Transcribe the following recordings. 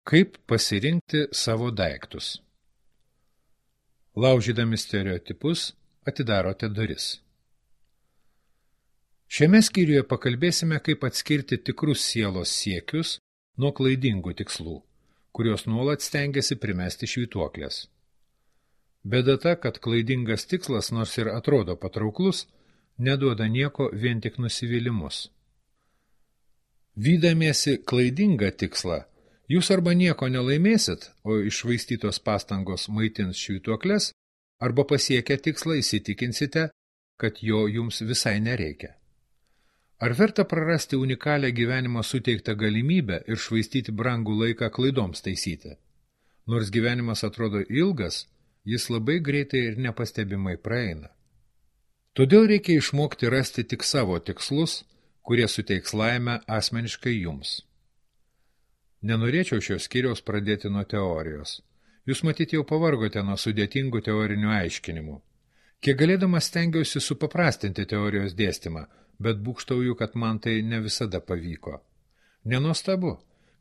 Kaip pasirinkti savo daiktus? Laužydami stereotipus atidarote duris. Šiame skyriuje pakalbėsime, kaip atskirti tikrus sielos siekius nuo klaidingų tikslų, kurios nuolat stengiasi primesti švytuoklės. Bėda ta, kad klaidingas tikslas, nors ir atrodo patrauklus, neduoda nieko, vien tik nusivylimus. Vydamiesi klaidingą tikslą, jūs arba nieko nelaimėsit, o iššvaistytos pastangos maitins švytuokles, arba pasiekę tikslą įsitikinsite, kad jo jums visai nereikia. Ar verta prarasti unikalią gyvenimo suteiktą galimybę ir švaistyti brangų laiką klaidoms taisyti? Nors gyvenimas atrodo ilgas, jis labai greitai ir nepastebimai praeina. Todėl reikia išmokti rasti tik savo tikslus, kurie suteiks laimę asmeniškai jums. Nenorėčiau šios skyriaus pradėti nuo teorijos. Jūs matyt jau pavargote nuo sudėtingų teorinių aiškinimų. Kiek galėdamas stengiausi supaprastinti teorijos dėstymą, bet būgštauju, kad man tai ne visada pavyko. Nenuostabu,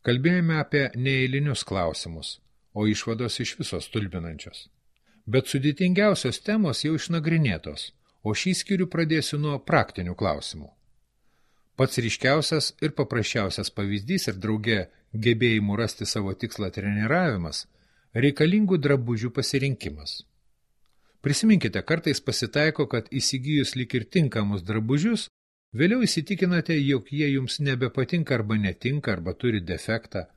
kalbėjome apie neeilinius klausimus, o išvados iš viso stulbinančios. Bet sudėtingiausios temos jau išnagrinėtos, o šį skyrių pradėsiu nuo praktinių klausimų. Pats ryškiausias ir paprasčiausias pavyzdys ir drauge gebėjimų rasti savo tikslą treniravimas – reikalingų drabužių pasirinkimas. Prisiminkite, kartais pasitaiko, kad įsigijus lyg ir tinkamus drabužius, vėliau įsitikinate, jog jie jums nebepatinka arba netinka arba turi defektą,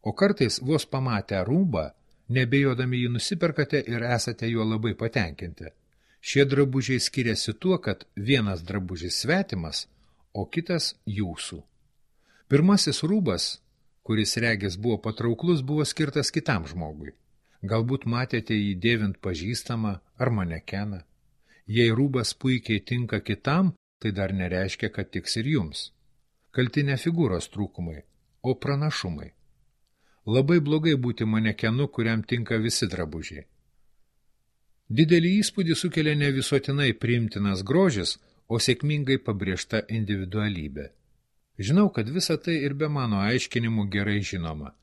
o kartais vos pamatę rūbą, nebejodami jį nusiperkate ir esate juo labai patenkinti. Šie drabužiai skiriasi tuo, kad vienas drabužis svetimas, o kitas jūsų. Pirmasis rūbas, kuris regis buvo patrauklus, buvo skirtas kitam žmogui. Galbūt matėte jį dėvint pažįstamą ar manekeną. Jei rūbas puikiai tinka kitam, tai dar nereiškia, kad tiks ir jums. Kalti ne figūros trūkumai, o pranašumai. Labai blogai būti manekenu, kuriam tinka visi drabužiai. Didelį įspūdį sukelia ne visuotinai priimtinas grožis, o sėkmingai pabrėžta individualybė. Žinau, kad visa tai ir be mano aiškinimų gerai žinoma.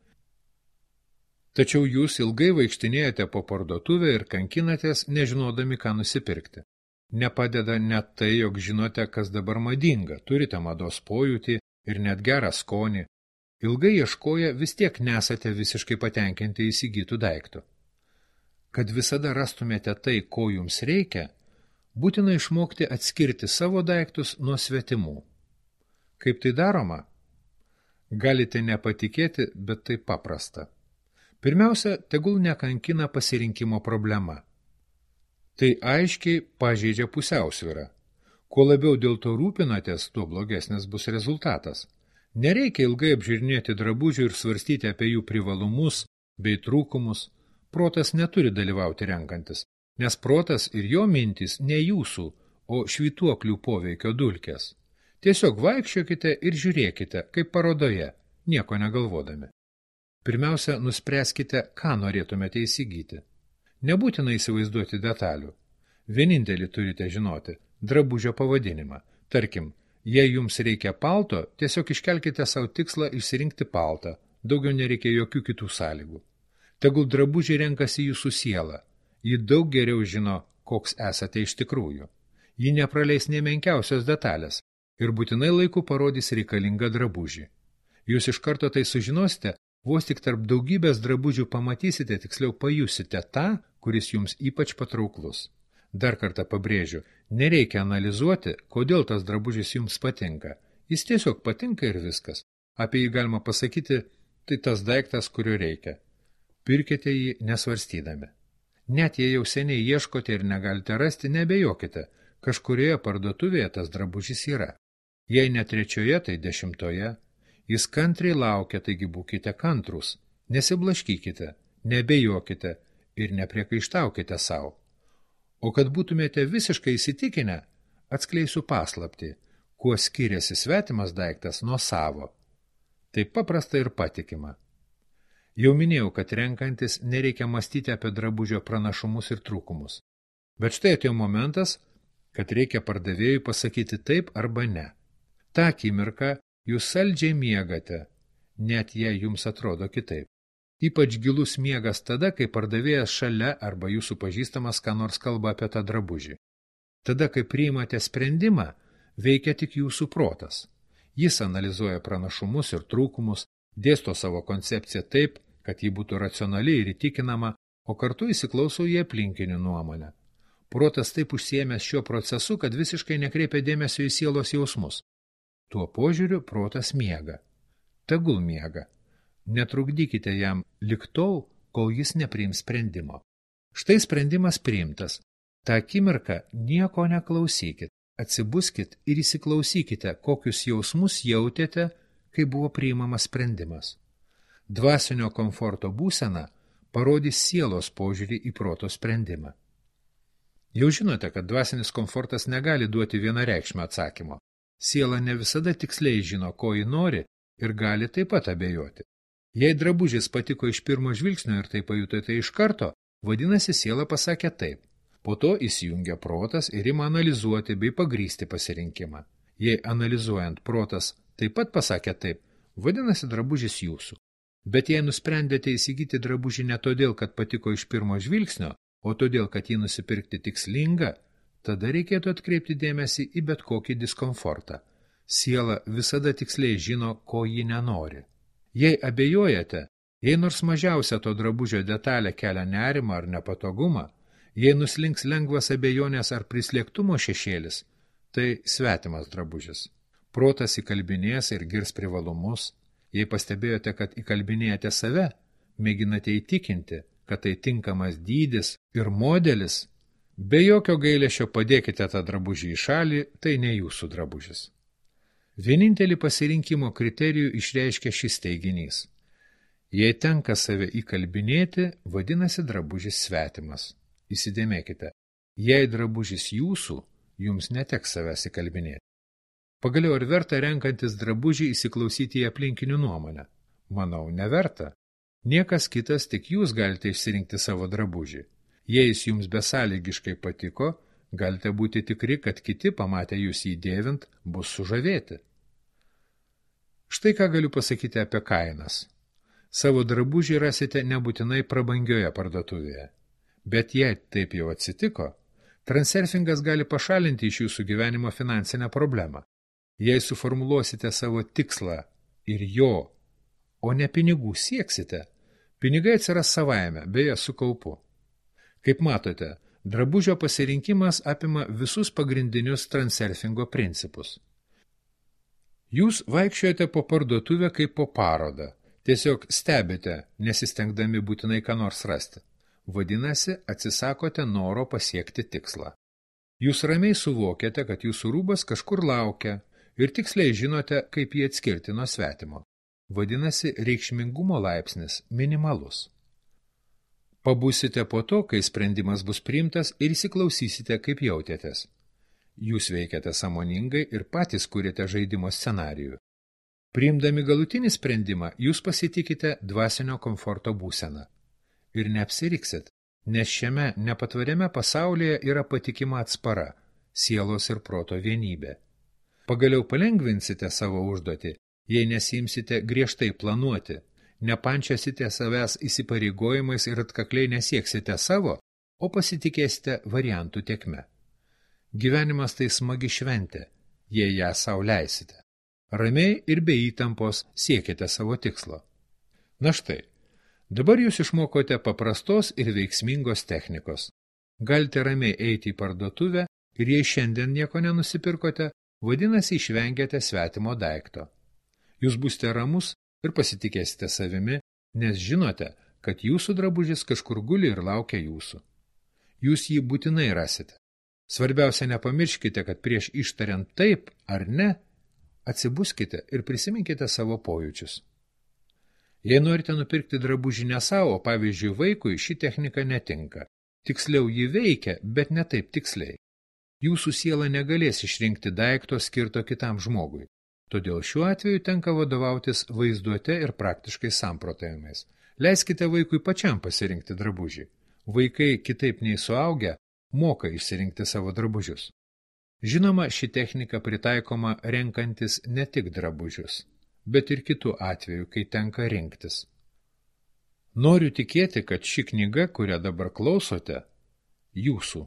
Tačiau jūs ilgai vaikštinėjate po parduotuvę ir kankinatės, nežinodami, ką nusipirkti. Nepadeda net tai, jog žinote, kas dabar madinga, turite mados pojūtį ir net gerą skonį. Ilgai ieškoję vis tiek nesate visiškai patenkinti įsigytų daiktų. Kad visada rastumėte tai, ko jums reikia, būtina išmokti atskirti savo daiktus nuo svetimų. Kaip tai daroma? Galite nepatikėti, bet tai paprasta. Pirmiausia, tegul nekankina pasirinkimo problema. Tai aiškiai pažeidžia pusiausvyrą. Kuo labiau dėl to rūpinatės, tuo blogesnis bus rezultatas. Nereikia ilgai apžiūrinėti drabužių ir svarstyti apie jų privalumus bei trūkumus. Protas neturi dalyvauti renkantis, nes protas ir jo mintys ne jūsų, o švytuoklių poveikio dulkės. Tiesiog vaikščiokite ir žiūrėkite, kaip parodoje, nieko negalvodami. Pirmiausia, nuspręskite, ką norėtumėte įsigyti. Nebūtina įsivaizduoti detalių. Vienintelį turite žinoti – drabužio pavadinimą. Tarkim, jei jums reikia palto, tiesiog iškelkite savo tikslą išsirinkti paltą, daugiau nereikia jokių kitų sąlygų. Tegul drabužiai renkasi jūsų sielą. Ji daug geriau žino, koks esate iš tikrųjų. Ji nepraleis nė menkiausios detalės ir būtinai laiku parodys reikalingą drabužį. Jūs iš karto tai sužinosite, vos tik tarp daugybės drabužių pamatysite, tiksliau pajusite tą, kuris jums ypač patrauklus. Dar kartą pabrėžiu, nereikia analizuoti, kodėl tas drabužis jums patinka. Jis tiesiog patinka ir viskas. Apie jį galima pasakyti, tai tas daiktas, kurio reikia. Pirkite jį nesvarstydami. Net jei jau seniai ieškote ir negalite rasti, nebejokite. Kažkurioje parduotuvėje tas drabužis yra. Jei ne 3, tai 10. Jis kantriai laukia, taigi būkite kantrūs. Nesiblaškykite, nebejokite ir nepriekaištaukite savo. O kad būtumėte visiškai įsitikinę, atskleisiu paslaptį, kuo skiriasi svetimas daiktas nuo savo. Tai paprasta ir patikima. Jau minėjau, kad renkantis nereikia mąstyti apie drabužio pranašumus ir trūkumus. Bet štai atėjo momentas, kad reikia pardavėjui pasakyti taip arba ne. Ta akimirka jūs saldžiai miegate, net jei jums atrodo kitaip. Ypač gilus miegas tada, kai pardavėjas šalia arba jūsų pažįstamas ką nors kalba apie tą drabužį. Tada, kai priimate sprendimą, veikia tik jūsų protas. Jis analizuoja pranašumus ir trūkumus, dėsto savo koncepciją taip, kad ji būtų racionali ir įtikinama, o kartu įsiklauso į aplinkinių nuomonę. Protas taip užsiėmęs šiuo procesu, kad visiškai nekreipia dėmesio į sielos jausmus. Tuo požiūriu protas miega. Tegul miega. Netrukdykite jam lik tol, kol jis nepriims sprendimo. Štai sprendimas priimtas. Ta akimirka nieko neklausykit. Atsibuskit ir įsiklausykite, kokius jausmus jautėte, kai buvo priimamas sprendimas. Dvasinio komforto būsena parodys sielos požiūrį į proto sprendimą. Jau žinote, kad dvasinis komfortas negali duoti vienareikšmio atsakymo. Siela ne visada tiksliai žino, ko ji nori ir gali taip pat abejoti. Jei drabužis patiko iš pirmo žvilgsnio ir tai pajutote iš karto, vadinasi, siela pasakė taip. Po to įsijungia protas ir ima analizuoti bei pagrysti pasirinkimą. Jei analizuojant protas taip pat pasakė taip, vadinasi, drabužis jūsų. Bet jei nusprendėte įsigyti drabužį ne todėl, kad patiko iš pirmo žvilgsnio, o todėl, kad jį nusipirkti tikslinga, tada reikėtų atkreipti dėmesį į bet kokį diskomfortą. Siela visada tiksliai žino, ko ji nenori. Jei abejojate, jei nors mažiausia to drabužio detalė kelia nerimą ar nepatogumą, jei nuslinks lengvas abejonės ar prislėgtumo šešėlis, tai svetimas drabužis. Protas įkalbinės ir girs privalumus. Jei pastebėjote, kad įkalbinėjate save, mėginate įtikinti, kad tai tinkamas dydis ir modelis, be jokio gailesčio padėkite tą drabužį į šalį, tai ne jūsų drabužis. Vienintelį pasirinkimo kriterijų išreiškia šis teiginys. Jei tenka save įkalbinėti, vadinasi drabužis svetimas. Įsidėmėkite, jei drabužis jūsų, jums neteks savęs įkalbinėti. Pagaliau ar verta renkantis drabužį įsiklausyti į aplinkinių nuomonę? Manau, neverta. Niekas kitas, tik jūs galite išsirinkti savo drabužį. Jei jis jums besąlygiškai patiko, galite būti tikri, kad kiti, pamatę jūs jį dėvint, bus sužavėti. Štai ką galiu pasakyti apie kainas. Savo drabužį rasite nebūtinai prabangioje parduotuvėje. Bet jei taip jau atsitiko, transurfingas gali pašalinti iš jūsų gyvenimo finansinę problemą. Jei suformuluosite savo tikslą ir jo, o ne pinigų sieksite, pinigai atsiras savaime, beje su kaupu. Kaip matote, drabužio pasirinkimas apima visus pagrindinius transurfingo principus. Jūs vaikščiojate po parduotuvę kaip po parodą, tiesiog stebite, nesistengdami būtinai ką nors rasti. Vadinasi, atsisakote noro pasiekti tikslą. Jūs ramiai suvokiate, kad jūsų rūbas kažkur laukia ir tiksliai žinote, kaip jį atskirti nuo svetimo. Vadinasi, reikšmingumo laipsnis minimalus. Pabūsite po to, kai sprendimas bus priimtas ir įsiklausysite, kaip jautėtės. Jūs veikiate sąmoningai ir patys kūrėte žaidimo scenarijų. Priimdami galutinį sprendimą, jūs pasitikite dvasinio komforto būseną. Ir neapsiriksit, nes šiame nepatvariame pasaulyje yra patikima atspara, sielos ir proto vienybė. Pagaliau palengvinsite savo užduotį, jei nesiimsite griežtai planuoti, nepančiasite savęs įsipareigojimais ir atkakliai nesieksite savo, o pasitikėsite variantų tekme. Gyvenimas tai smagi šventė, jei ją sau leisite. Ramiai ir be įtampos siekite savo tikslo. Na štai, dabar jūs išmokote paprastos ir veiksmingos technikos. Galite ramiai eiti į parduotuvę ir jei šiandien nieko nenusipirkote, vadinasi išvengėte svetimo daikto. Jūs būsite ramus ir pasitikėsite savimi, nes žinote, kad jūsų drabužis kažkur guli ir laukia jūsų. Jūs jį būtinai rasite. Svarbiausia, nepamirškite, kad prieš ištariant taip ar ne, atsibuskite ir prisiminkite savo pojūčius. Jei norite nupirkti drabužį ne savo, pavyzdžiui, vaikui, ši technika netinka. Tiksliau ji veikia, bet ne taip tiksliai. Jūsų siela negalės išrinkti daikto skirto kitam žmogui. Todėl šiuo atveju tenka vadovautis vaizduote ir praktiškai samprotavimais. Leiskite vaikui pačiam pasirinkti drabužį. Vaikai, kitaip nei suaugę, moka išsirinkti savo drabužius. Žinoma, ši technika pritaikoma renkantis ne tik drabužius, bet ir kitų atvejų, kai tenka rinktis. Noriu tikėti, kad ši knyga, kurią dabar klausote, jūsų.